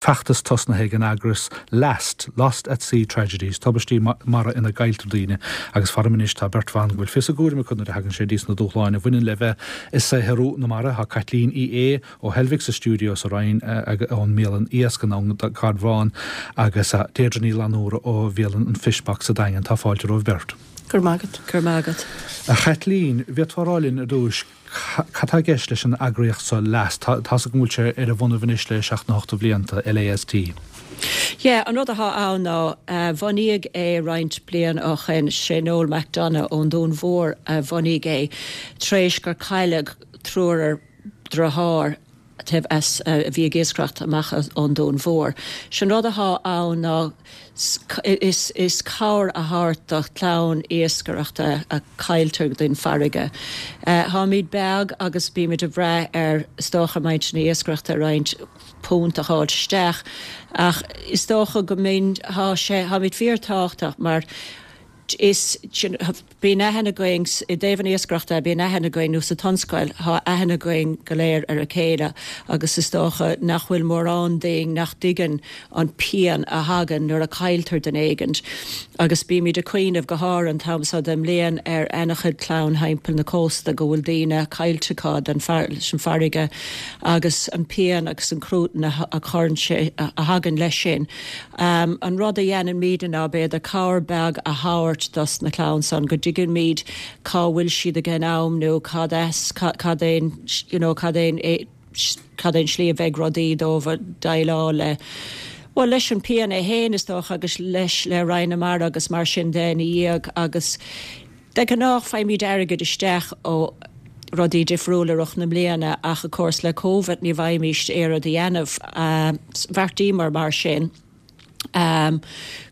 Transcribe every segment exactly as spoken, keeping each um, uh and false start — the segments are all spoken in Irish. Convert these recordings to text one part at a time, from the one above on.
Feachtas tosnaithe ag an eagras Last, Lost at Sea Tragedies, tubaistí mara ina gcailltear daoine agus faram anois tá beirt bhan go bhfuil fios a gcúraim acu nuair a thagann sé dtí na dúshláin a bhaineann le bheith ag saothrú na mara tá Caitlín Uí Aodha ó Heilbhic sa stiúideo sa Rinn ón mbialann iasc an Carbhán agus Deirdre Ní Fhlannúra ó bhialann an Fishbox sa Daingean tá fáilte romhaibh beirt. Gur magat. Gur magat. A Chaitlín, bhféadfá a rá linn ar dtús cad tá i gceist leis an eagraíocht seo Last tá go bhfuil sé ar a bhonnaibh anois le seacht nó ocht blianta LAST. Yeah, an rud atá ann ná uh, bunaíodh é roinnt bliain ó shin sé Noel McDonough ón Dún Mhór a bhunaigh é tar éis gur cailleadh triúr deartháir as a bhí ag iascaireacht amach ón Dún Mhór. Sin rud atá ann ná is, is cabhair a thabhairt do chlann iascaireachta a cailltear den farraige. Uh, Táimid beag agus bímid ag brath ar is dócha muintir na iascaireachta roinnt punt a fháil isteach ach is dócha go mbíonn tá sé táimid fíorthábhachtach mar is bíonn aithne againn i dtaobh an iascaireachta bíonn aithne againn nó sa tionscal tá aithne againn go léir ar a chéile agus is dócha nach bhfuil mórán daoine nach dtuigeann an pian a thagann nuair a cailltear duine éigin. agus bímid ag cuimhneamh go háirithe an t-am seo den mbliain ar an-chuid clann timpeall na cósta go bhfuil daoine caillte acu den leis an farraige agus an pian agus an cruatan a chuireann sé a thagann leis sin. Um, an rud a dhéanaimid ná b'fhéidir cabhair beag a thabhairt dos na clann san go dtuigimid cá bhfuil siad ag an am nó cad es cad é you know, cad é cad é an slí a bheidh rudaí dóibh déileáil le. Well leis an pian é féin is dócha agus leis le Roinn na Mara agus mar sin de ina dhiaidh agus de ghnáth faighimid airgead isteach ó rudaí difriúla i rith na bliana ach of course le COVID ní bhfaighimid aon rud a dhéanamh uh, bheartaíomar mar sin. Um,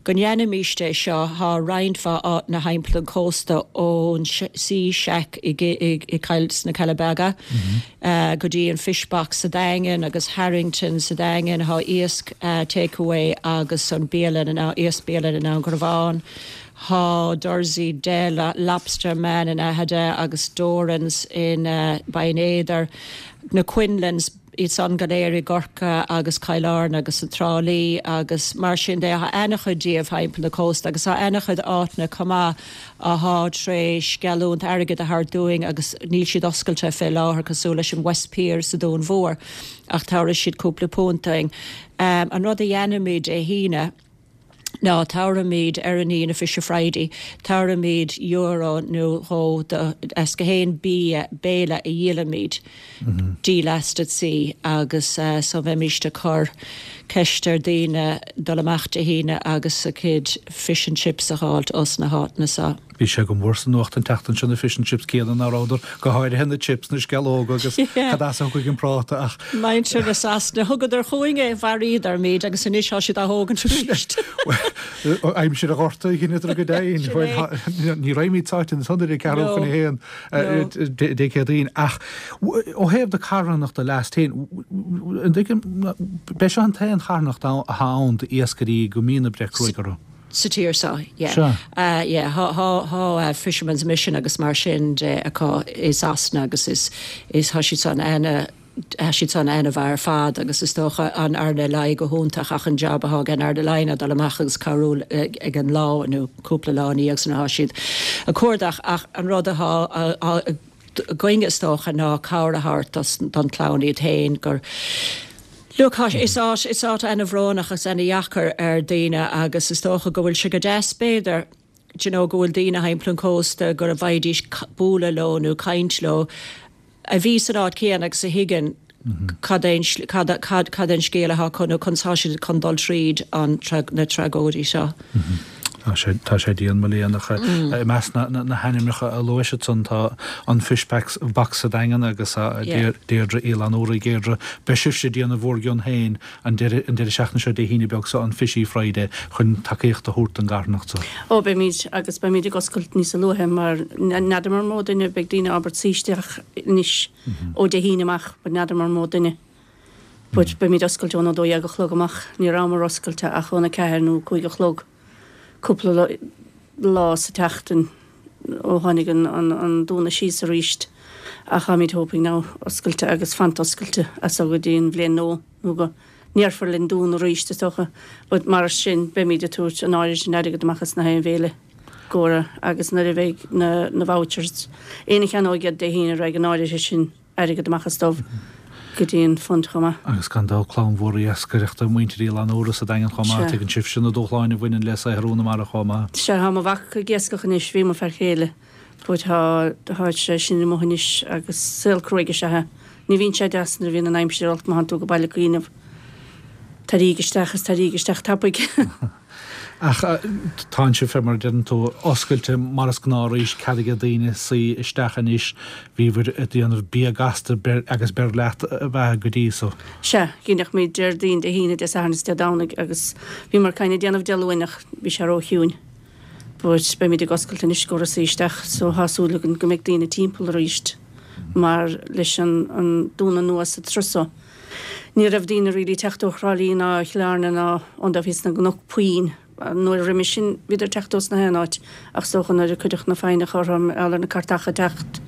go ndéanfaimis é seo tá roinnt mhaith na timpeall an cósta ón Sea Shack i i sna Cealla Beaga mm -hmm. uh, go dtí an Fishbox sa Daingean agus Harrington sa Daingean tá iasc uh, takeaway agus an bialann an iasc bialann in an Garbhán. Tá Dursey Del Lobster Man in Aghada agus Dorans in uh, Bain na Quinlans iad san go léir i gCorcaigh agus Cill Airne agus an Trá Lí agus mar sin de tá an-chuid díobh timpeall na cósta agus tá an-chuid áiteanna chomh maith atá tar éis geallúint airgead a thabhairt dúinn agus níl siad oscailte fé láthair cosúil leis an West Pier sa Dún Mhór ach tabharfaidh siad cúpla punt dúinn. Um, an rud a dhéanaimid é hína, ná tabharfaimid ar an Aoine Fisher Friday, tabharfaimid euro nó dhó as gach aon bí béile a dhíolaimid mm -hmm. do Last at Sea agus uh, so bheimid ag cur ceist ar daoine dul amach Dé hAoine agus a cuid fish and chips a fháilt os na háiteanna seo. Bhí sé go mór sa nuacht an tseachtain sin na fish and chips céanna ná rabhadar go háirithe na chips na sceallóga agus cad as chuig an práta ach. Muintir na Sasana thugadar chugainn é mharaíodar muid agus anois tá siad á thógaint arís. Aimsir a ghorta chinnetar go dain ní raimid sáin sonder ceú chuna héan dé céadaoin ach ó thaobh de carthanacht Last féin be seo an t-aon charthanacht atá ann d'iascairí go mbíonn breith cruaidh orthu. Sa tír seo yeah. Uh, yeah, tá uh, Fisherman's Mission agus mar sin de acu i Sasana agus is is tá siad san ana siad san ana bhar fad agus is dócha an RNLI go hiontach ach an job atá an RNLI dul amach agus cabhrú ag an lá nó cúpla lá agus na siad a cuardach ach an rud atá againn is dócha ná cabhair a thabhairt don chlann iad féin gur Look, is áit is áit an-bhrónach agus an-deacair ar daoine agus is dócha go bhfuil sé go deas b'fhéidir you know, go bhfuil daoine timpeall an cósta gur a bhféadfaidís bualadh leo nó caint leo a bhí san áit céanna agus a thuigeann cad cad an scéal atá chun chun siad chun dul tríd an na tragóidí seo. Tá sé tá sé dian mo léanacha i measc na hainmneacha a luaigh siad san tá an Fishbox box sa Daingean agus Deirdre Uí Fhlannúra Deirdre beidh sibhse ag déanamh bhur gcion féin an deireadh seachtaine seo Dé hAoine beag seo an Fishy Friday chun tacaíocht a thabhairt don gcarthanacht seo. Ó beimid agus beimid ag oscailt níos luaithe mar n'fheadar an mó duine beidh daoine ábalta suí isteach anois ó Dé hAoine amach, but n'fheadar an mó duine. But beimid oscailte ón dó dhéag a chlog amach, ní rabhamar oscailte ach óna ceathair nó cúig a chlog. Cúpla lá sa tseachtain ó tháinig an, an, an dúnadh síos arís ach táimid hoping now oscailte agus fanacht oscailte as go dtí an bhliain nó nó go ndéarfar linn dúnadh arís is dócha, but mar sin beimid ag tabhairt an áirithe sin airgead amach as na haon bhéile gcomhair agus nuair a bheidh na na vouchers éinne a cheannóidh iad Dé hAoine raghaidh an áirithe sin airgead amach as dóibh go dtí an fund chomh maith. Agus gan dabht clann mhór iascaireachta muintir Oileán Úra sa Daingean chomh maith, tuigeann sibhse na dúshláin a bhaineann le saothrú na mara chomh maith. Sea, tá mo mhac ag iascach anois, bhí mo fear chéile, but tá tá sé sin amuigh anois agus saol cruaidh is ea é. Ní bhíonn sé deas nuair a bhíonn an aimsir olc má thánn tú go baile ag cuimhneamh. Taraíg isteach is taraíg isteach tapaidh. Ach tánn sibh fé mar a deireann tú, oscailte mar is gnáth arís, cead ag daoine suí isteach anois, bhíobhair ag déanamh bia gasta agus beir leat ab ea go dtí so. Sea, dheineadh Déardaoin, Dé hAoine, Dé Sathairn is Dé Domhnaigh agus bhíomar kind of déanamh Dé Luain ach bhí sé ró-chiúin. But beimid ag oscailt anois go suí isteach so tá súil againn go mbeidh daoine timpeall arís mar leis an an dúnadh nua sa turas so. Ní raibh daoine really teacht ó Thrá Lí ná Chill Airne ná ón dtaobh thíos na gcnoc puinn. Nuair a roimhe sin bhíodar ag teacht ós na haon áit ach is dócha nuair a cuireadh na foighneacha orthu mar gheall ar na cairteacha teacht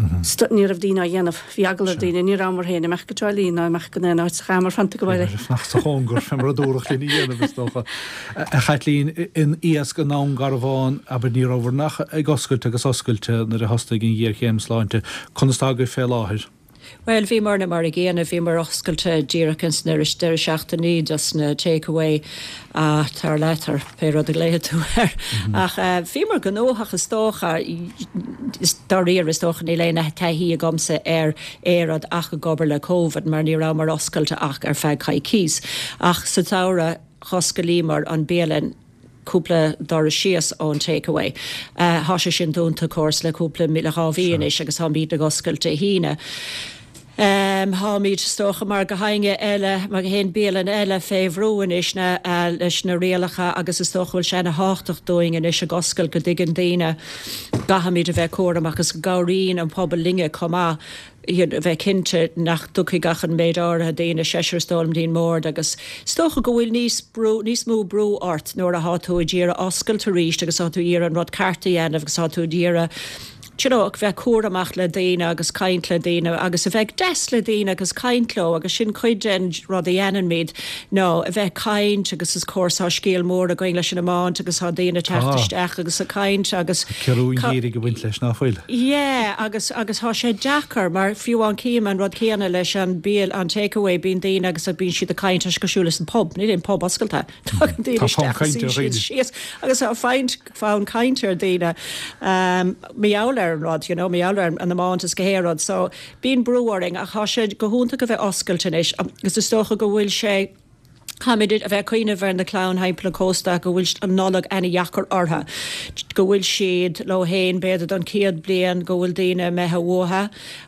ní raibh daoine á dhéanamh. Bhí eagla ar daoine, ní rabhamar féin imeacht go Trá Lí ná imeacht go aon áit so chaitheamar fanacht go baile. Fanacht sa chóngar fé mar a dúradh linn a dhéanamh is dócha. A Chaitlín, in iasc i nDún Garbhán, abair ní rabhabhair ach ag oscailt agus oscailte nuair a thosnaigh an ghéarchéim sláinte. Conas tá agaibh fé láthair? Bhuel, bhíomarna mar a gcéanna, bhíomar oscailte díreach ins na deireadh seachtainí dos na take away tar leat ar pé rud a ghlaofaidh tú air. Ach bhíomar gnóthach is dócha, dáiríre is dócha níl aon taithí agamsa ar aon rud ach ag obair le Covid mar ní rabhamar oscailte ach ar feadh coicís. Ach sa tsamhradh dh'osclaíomar an bialann cúpla doras síos ón take away. Thá sé sin dúnta of course le cúpla le dhá mhí anois agus táimid ag oscailt Dé hAoine. Táimid is dócha mar gach éinne eile, mar gach aon bialann eile fé bhrú anois na leis na rialacha agus is dócha go bhfuil sé ana thábhachtach dúinn anois ag oscailt go dtuigeann daoine gcaithfimid a bheith cúramach agus go gcabhraíonn an pobal linne chomh maith. a bheith cinnte nach dtiocfaidh ach an méid áirithe daoine, seisear is dóigh liom dtí'n mbord agus is dócha go bhfuil níos brú, níos mó brú ort nuair athá tú ag iarraidh oscailt arís agus tá tú ag iarraidh an rud ceart a dhéanamh agus tá tú ag iarraidh you know, bheith cúramach le daoine agus caint le daoine agus a bheith deas le daoine agus caint leo agus sin cuid den rud a dhéanaimid ná a bheith caint agus of course tá scéal mór againn leis an iomáint agus tá daoine teacht isteach agus ag caint agus Ciorrú an dhírigh ag baint leis ná fuil? Yeah agus agus tá sé deacair mar fiú amháin cím an rud céanna leis an bia an takeaway bíonn daoine agus bíonn siad ag caint tá sé cosúil leis an pub níl aon pub oscailte tagann daoine isteach agus suíonn siad síos agus tá fonn fonn caint ar daoine um, mar gheall ar an rud you know, mar gheall ar an iomáint is gach aon rud so bíonn brú orainn ach tá sé go hiontach a bheith oscailte anois agus is dócha go bhfuil sé Caithfimid a bheith ag cuimhneamh ar na clann thimpeall an chósta go bhfuil an Nollaig ana-dheacair orthu, go bhfuil siad leo féin b'fhéidir don chéad bliain, go bhfuil daoine imithe uathu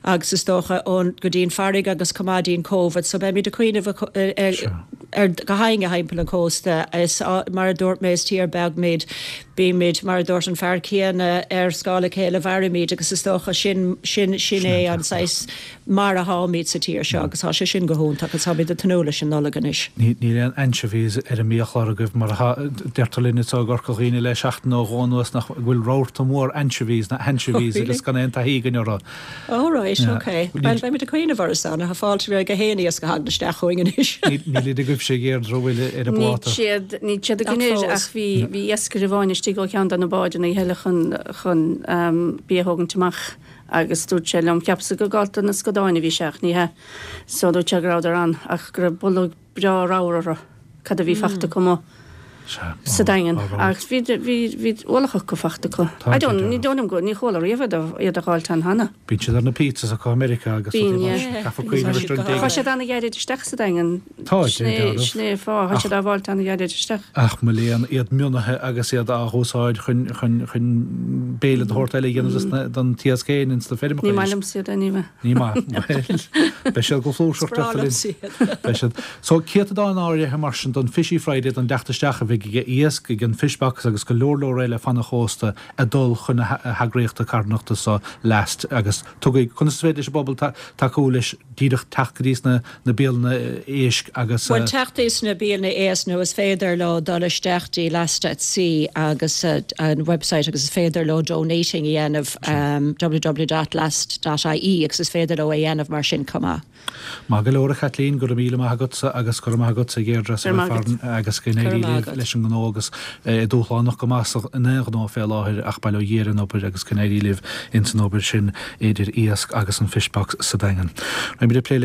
agus is dócha ón go dtí'n farraige agus chomh maith dtí'n Covid. So beimid ag cuimhneamh ar gach éinne thimpeall an chósta. Is mar a dúirt mé is tír beag muid, bímid mar a dúirt an fear céanna ar scála chéile mhairimid agus is dócha sin sin sin é an saghas mar a tháimid sa tír seo agus tá sé sin go hiontach agus táimid ag tnúth leis an Nollaig anois. Níl aon anchovies ar an mbiachlár agaibh mar atá, deirtear linn anseo i gCorca Dhuibhne le seachtain nó dhó anuas nach bhfuil rabharta mór anchovies ná anchovies agus gan aon taithí againn orthu. Oh right, ok. Bhuel beimid ag cuimhneamh orthu san, tá fáilte roimh gach aon iasc a thagann isteach chugainn anois. Nílid agaibhse a Dheirdre, an bhfuil ar an bpláta? Níl siad, níl siad againn ach bhí, bhí iascaire amháin istigh ó cheann de na báid an oíche eile chun, chun bia a thógaint amach. Agus dúirt sé liom, cheapas-sa gur ag gabháil do na scadáin a bhí sé ach ní hea. So dúirt sé go rabhadar ann ach go raibh boladh breá ramhar orthu, cad a bhí fachta acu amuigh sa Daingean. Ach bhí, bhí, bhí ualach acu fachta acu. I don't, ní dóigh liom go, ní chuala riamh iad a, iad a dh'fháilt ann cheana. Bíonn siad ar na pizzas acu i Meiriceá agus rudaí mar sin. Caithfear cuimhneamh ar an Tá siad ana-ghairid isteach sa Daingean. Tá, Sin é, sin é an fáth, tá siad á bhfáilt ana-ghairid isteach. Ach mo léan, iad mionaithe agus iad á húsáid chun, chun, chun béile de shórt eile a dhéanamh dos na, don t-iasc féin ins na feirmeacha Ní maith liomsa iad anyway. Ní maith. Bhuel, beidh siad go flúirseach Is breá deirtear linn. liomsa iad. Beidh siad. So, céatadán áirithe mar sin don Fishy Friday don dteacht isteach a bhíonn bheidh ag iasc ag an Fishbox agus go leor leor eile fan an chósta ag dul chun na heagraíochta carthanachta so Last agus tugaigí conas is féidir leis an bpobal tacú leis díreach teacht go dtí na na bialanna éisc agus Bhuel teacht dtí na bialanna éisc nó is féidir leo dul isteach dtí Last at Sea agus uh, an website agus is féidir leo donating a dhéanamh um, www.last.ie agus is féidir leo a dhéanamh mar sin chomh maith. Maith go leor a Chathleen go raibh míle maith agatsa agus go raibh maith agatsa a Dheirdre agus go n-éirí leis an ngnó agus eh, dúshlánach go maith in aon ghnó fé láthair ach bail ó Dhia ar an obair agus go n-éirí libh ins an obair sin idir iasc agus an Fishbox sa Daingean. Beimid ag plé le